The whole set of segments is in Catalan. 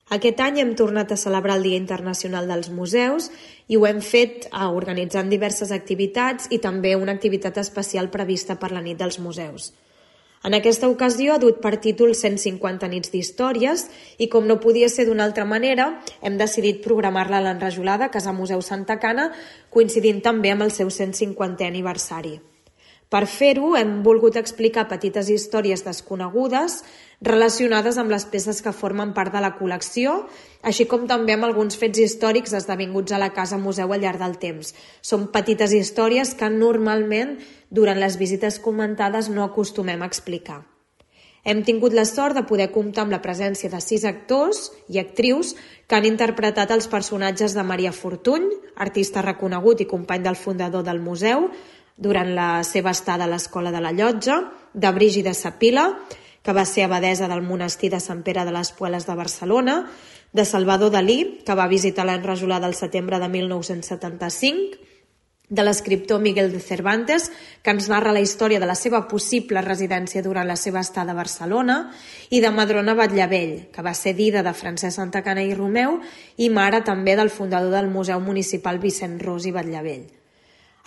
Aquest any hem tornat a celebrar el Dia Internacional dels Museus i ho hem fet organitzant diverses activitats i també una activitat especial prevista per la nit dels museus. En aquesta ocasió ha dut per títol 150 nits d'històries i, com no podia ser d'una altra manera, hem decidit programar-la a l'Enrajolada, Casa Museu Santa Cana, coincidint també amb el seu 150è aniversari. Per fer-ho, hem volgut explicar petites històries desconegudes relacionades amb les peces que formen part de la col·lecció, així com també amb alguns fets històrics esdevinguts a la Casa Museu al llarg del temps. Són petites històries que normalment, durant les visites comentades, no acostumem a explicar. Hem tingut la sort de poder comptar amb la presència de 6 actors i actrius que han interpretat els personatges de Maria Fortuny, artista reconegut i company del fundador del museu, durant la seva estada a l'Escola de la Llotja, de Brígida Sapila, que va ser abadesa del monestir de Sant Pere de les Pueles de Barcelona, de Salvador Dalí, que va visitar l'Enrajolada al setembre de 1975, de l'escriptor Miguel de Cervantes, que ens narra la història de la seva possible residència durant la seva estada a Barcelona, i de Madrona Batllevell, que va ser dida de Francesc Santacana i Romeu i mare també del fundador del Museu Municipal Vicent Ros i Batllevell.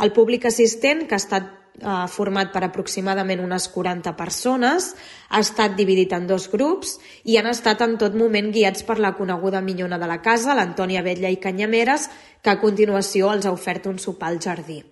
El públic assistent, que ha estat format per aproximadament unes 40 persones, ha estat dividit en 2 grups i han estat en tot moment guiats per la coneguda minyona de la casa, l'Antònia Vetlla i Canyameres, que a continuació els ha ofert un sopar al jardí.